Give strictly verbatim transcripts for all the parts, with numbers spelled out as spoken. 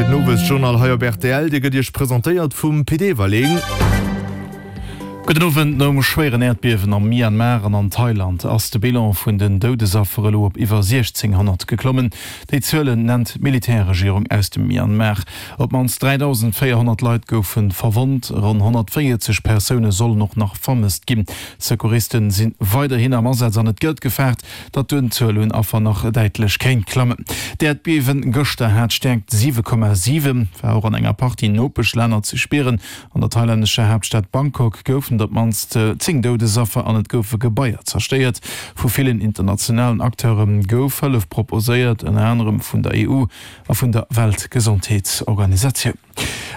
fir den Owesjournal hei op rtl. Dee gëtt Iech presentéiert vum Pit Everling. Gudden Owend, Nom schwéieren Äerdbiewen am Myanmar an an Thailand ass de Bilan vun den Doudesaffer elo op iwwer siechzénghonnert geklommen. Déi Zuelen nennt d'Militärregierung aus dem Myanmar. Op d'mannst dräidausendvéierhonnert Leit goufe verwonnt, ronn honnertvéierzeg Persoune sollen och nach vermësst ginn. D'Secouristen si weiderhin am Asaz an et gëtt gefaart, datt d'Unzuel un Affer nach däitlech kéint klammen. D'Äerdbiewen gëschter hat Stäerkt siwe Komma siwen, war och an enger Partie Nopeschlänner ze spieren. An der thailännescher Haaptstad Bangkok goufen et op d'mannst zéng Doudesaffer an et goufe Gebaier zerstéiert. Vu villen internationalen Acteure gouf Hëllef proposéiert, ënner anerem vun der E U a vun der Weltgesondheetsorganisatioun.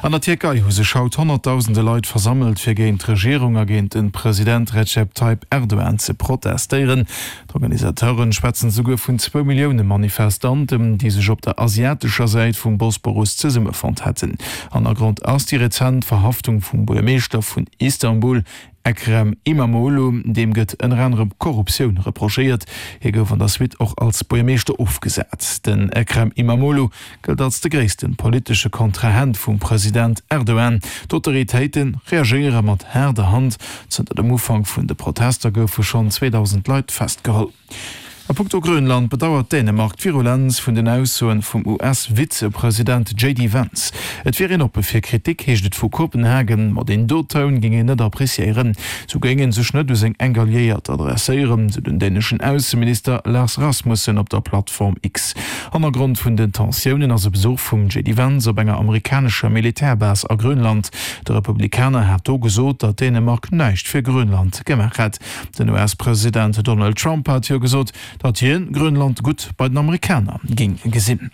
An der Tierkei hu sech haut honnertdausende Leit versammelt, fir géint d'Regierung a géint de President Recep Tayyip Erdogan ze protestéieren. D'Organisateuren schwätzen souguer vun zwou Millioune Manifestanten, déi sech op der asiatescher Säit vum Bosporus zesummefonnt hätten. Hannergrond ass déi rezent Verhaftung vum Buergermeeschter vun Istanbul, Ekrem Imamoglu. Deem gëtt ënner anerem Korruptioun reprochéiert. Hie gouf an der Suite och als Buergermeeschter ofgesat. Den Ekrem Imamoglu gëllt als de gréisste politesche Kontrahent vum President Erdogan. D'Autoritéite reagéiere mat haarder Hand. Zënter dem Ufank vun de Protester goufe schonn zweedausend Leit festgeholl. A punkto Grönland bedauert Dänemark d'Virulenz vun den Aussoen vum U S-Vizepresident J D Vance. Et wier een oppe fir Kritik, heescht et vu Kopenhagen, ma deen do Toun géing een net appreciéieren. Sou géing ee sech net u seng enk Alliéiert adresséieren, sou den däneschen Ausseminister Lars Rasmussen op der Plattform X. Hannergrond vun den Tensiounen ass e Besuch vum J D Vance op enger amerikanescher Militärbase a Grönland. De Republikaner hat do gesot, datt Dänemark näischt fir Grönland gemaach hätt. Den U S-President Donald Trump hat jo gesot, datt hien Grönland gutt bei den Amerikaner géing gesinn.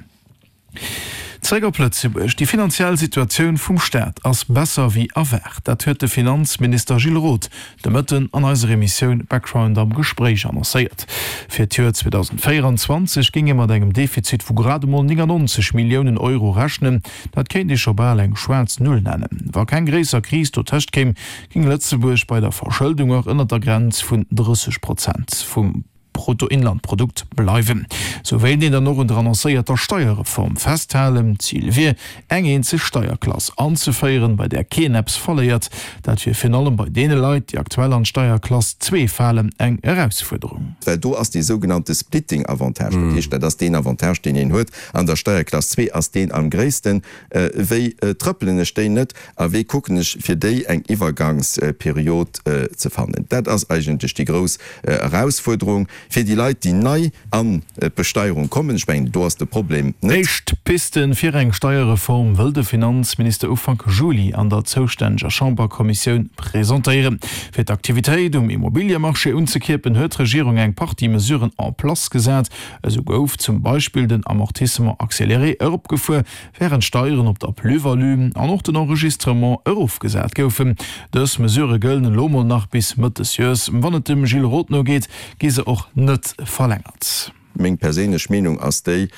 Zeréck op Lëtzebuerg, Déi finanziell Situatioun vum Staat ass besser wéi erwaart. Dat huet de Finanzminister Gilles Roth de Mëtten an eiser Emissioun Background am Gespréich annoncéiert. Fir d'Joer zweedausendvéierenzwanzeg géing ee mat engem Defizit vu grad emol néngannonzeg Milliounen Euro rechnen. Dat kéint ee scho bal eng schwaarz Null nennen. Wa keng gréisser Kris dotëscht kéim, géing Lëtzebuerg bei der Verschëldung och ënnert der Grenz vun drësseg Prozent vum Bruttoinlandprodukt bleiwen. Sou wéilt een dann och un der annoncéierter Steierreform festhalen. D'Zil wier, eng eenzeg Steierklass anzeféieren, bei där keen eppes verléiert. Dat wier virun allem bei deene Leit, déi aktuell an d'Steierklass zwee falen, eng Erausfuerderung. Well do ass dee sougenannte Splitting-Avantage, dat heescht, dat ass deen Avantage, deen een huet an der Steierklass zwee, ass deen am gréissten. Wéi trëppelen ech déi net a wéi kucken ech, fir déi eng Iwwergangsperiod ze fannen? Dat ass eigentlech déi grouss Erausfuerderung fir déi Leit, déi nei an d'Besteierung kommen. Ech mengen, do ass de Problem net. Éischt Piste fir eng Steierreform wëll de Finanzminister Ufank Juli an der zoustänneger Chamberkommissioun presentéieren. Fir d'Aktivitéit um Immobiliemarché unzekierpen, huet d'Regierung eng Partie Mesuren en place gesat. Esou gouf zum Beispill den Amortissement accéléré eropgefuer, wärend d'Steieren op der Plus-value an och den Enregistrement erofgesat goufen. Dës Mesurë gëllen elo mol nach bis Mëtt des Joers. Wann et dem Gilles Roth no geet, gi se och net verlängert. Meng perséinlech Meenung ass déi,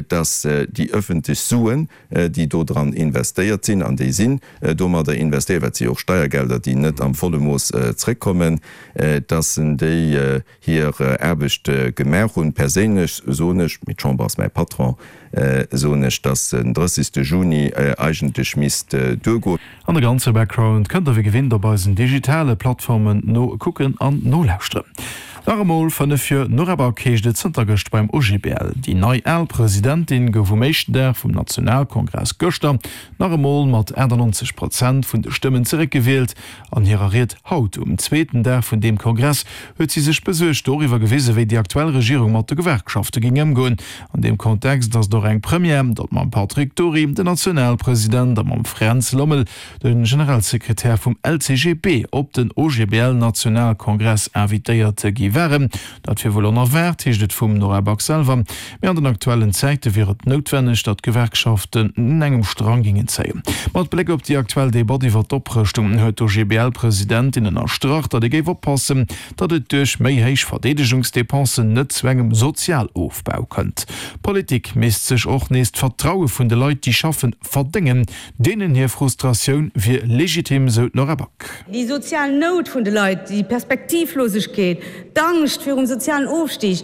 dass déi öffentlech Suen, déi do dran investéiert sinn, an déi sinn domadder investéiert, well et si jo och Steiergelder, déi net am volle Mooss zréckkommen, dass déi hir Aarbecht gemaach hunn. Perséinlech soen ech, mee d'Chamber ass mäi Patron, soen ech, dass den drëssigste Juni eigentlech misst duergoen. An de ganze Background kënnt der wéi gewinnt op eisen digitale Plattformen nokucken an nolauschteren. Nach emol fënnef Joer Nora Back heescht et zënter gëscht beim O G B L. Déi nei al Presidentin gouf um éischten Dag vum Nationalkongress gëschter nach emol mat achtannonzeg Prozent vun de Stëmmen zeréckgewielt. An hirer Ried haut um zweeten Dag vun deem Kongress huet si sech besuergt doriwwer gewisen, wéi déi aktuell Regierung mat de Gewerkschafte géing ëmgoen. An deem Kontext ass et och eng Première, datt mam Patrick Dury den Nationalpresident a mam Fränz Lommel de Generalsekretär vum L C G B op den O G B L-Nationalkongress invitéiert gi waren. Dat wier wuel onerwaart, heescht et vum Nora Back selwer, mee an den aktuellen Zäite wier et noutwenneg, datt d'Gewerkschaften un engem Strang géingen zéien. Mat Bléck op déi aktuell Debatt iwwer d'Oprëschtung huet d'O G B L-Presidentin ënnerstrach, datt ee géif oppassen, datt et duerch méi héich Verdeedegungsdepensen net zu engem Sozialofbau kënnt. D'Politik misst sech och nees d'Vertraue vun de Leit, déi schaffen, verdéngen. Deenen hir Frustratioun wier legitim, sou d'Nora Back. Déi sozial Nout vun de Leit, déi Perspektivlosegkeet, d'Angscht virum sozialen Ofstig,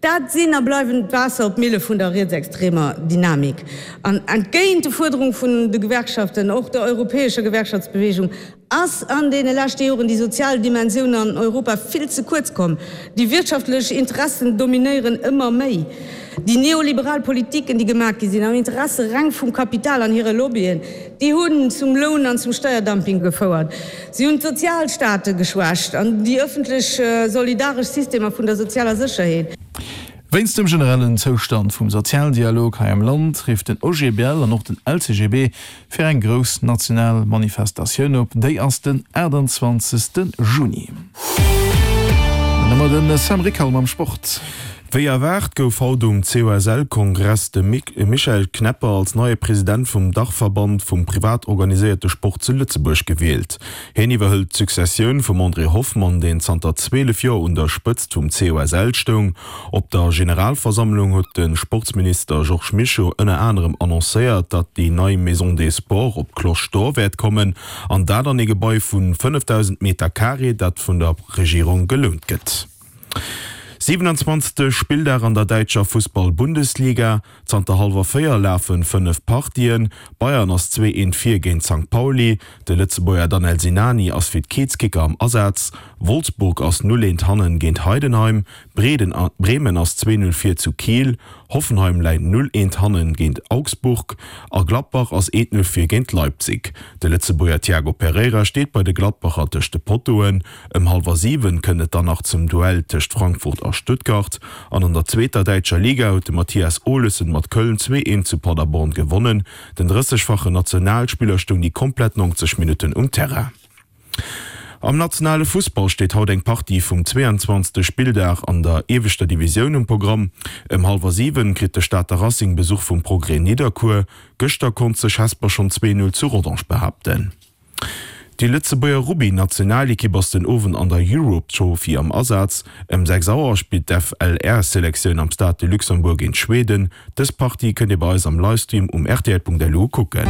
Dat sinn a bleiwen d'Waasser op d'Mille vun der rietsextremer Dynamik. An entgéint de Fuerderung vun de Gewerkschaften, och der europäescher Gewerkschaftsbewegung, ass an deene leschte Joren déi sozial Dimensioun an Europa vill ze kuerz komm. Déi wirtschaftlech Interessen dominéieren ëmmer méi. Déi neoliberal Politiken, déi gemaach gi sinn am Interesse reng vum Kapital an hire Lobbyen, déi hunn zum Loun an zum Steierdumping gefouert. Si hunn d'Sozialstaate geschwächt an déi ëffentlech solidaresch Systemer vun der sozialer Sécherheet. Wéinst dem generellen Zoustand vum Sozialdialog hei am Land rifft den O G B L an och den L C G B fir eng grouss national Manifestatioun op. Déi ass den aachtanzwanzegste Juni. An ëmmer den Sam Rickal mam Sport. Wéi erwaart gouf haut um C O S L-Kongress de Michel Knepper als neie President vum Dachverband vum privat organiséierte Sport zu Lëtzebuerg gewielt. Hien iwwerhëlt d'Successioun vum André Hoffmann, deen zanter zwielef Joer un der Spëtzt vum C O S L stoung. Op der Generalversammlung huet de Sportsminister Georges Mischo ënner anerem annoncéiert, datt déi nei Maison des Sports op d'Cloche d'Or wäert kommen, an dat an e Gebai vu fënnefdausend Meter Carré, dat vun der Regierung gelount gëtt. Siewenanzwanzegste Spilldag an der däitscher Fussball-Bundesliga, Zanter hallwer véier lafe fënnef Partien. Bayern ass zwee eent vir géint Sankt Pauli, de Lëtzebuerger Danel Sinani ass fir d'Kiezkicker am Asaz. Wolfsburg ass null eent hannen géint Heidenheim, Breden Bremen ass zwee null vir zu Kiel, Hoffenheim läit null eent hannen géint Augsburg a Gladbach ass eent null vir géint Leipzig. De Lëtzebuerger Tiago Pereira steet bei de Gladbacher tëscht de Pottoen. Ëm hallwer siwen kënnt et dann nach zum Duell tëscht Frankfurt a Stuttgart. An an der zweeter däitscher Liga huet de Mathias Olesen mat Köln zwee eent zu Paderborn gewonnen. Den drëssegfachen Nationalspiller stoung déi komplett neunzeg Minutten um Terrain. Am nationale Fussball steet haut eng Partie vum zweeanzwanzegste Spilldag an der ieweschter Divisioun um Programm. Ëm hallwer siwen kritt de Stater Racing Besuch vum Progrès Nidderkuer. Gëschter konnt sech Hesper schonn zwee null zu Rodange behaapten. Déi Lëtzebuerger Rugby-Nationalekipp ass den Owend an der Europe Trophy am Asaz. Ëm sechs Auer spillt d'F L R-Selektioun am Stade de Luxembourg géint Schweden. Dës Partie kënnt Dir bei eis am Livestream um R T L Punkt L U kucken.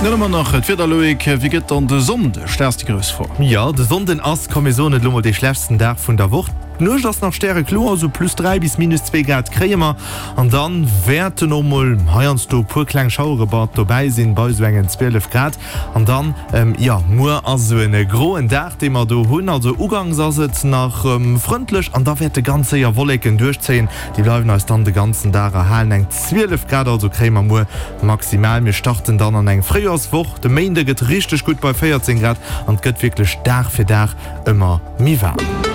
Dann hu mer nach d'Wieder, Loïc. Wéi gëtt dann de Sonndeg? Dat ass déi grouss Fro. Jo, de Sonnden ass, komm mir soen et elo mol, dee schlechtsten Dag vun der Woch. D'Nuecht ass nach stärekloer, sou plus dräi bis minus zwee Grad kréie mer. An dann wäerten och mol heiansdo e puer kleng Schauere mat dobäi sinn, bei sou engen zwielef Grad. An dann, jo, muer ass sou en groen Dag, dee mer do hunn. Also ugangs ass et nach frëndlech an da wäerte ganz séier Wolleken duerchzéien. Déi bleiwen eis dann de ganzen Dag erhalen. Eng zwielef Grad also kréie mer muer maximal. Mir starten dann an eng Fréijoerswoch. De Méinde gëtt richteg gutt bei véierzéng Grad an et gëtt wierklech Dag fir Dag ëmmer méi waarm.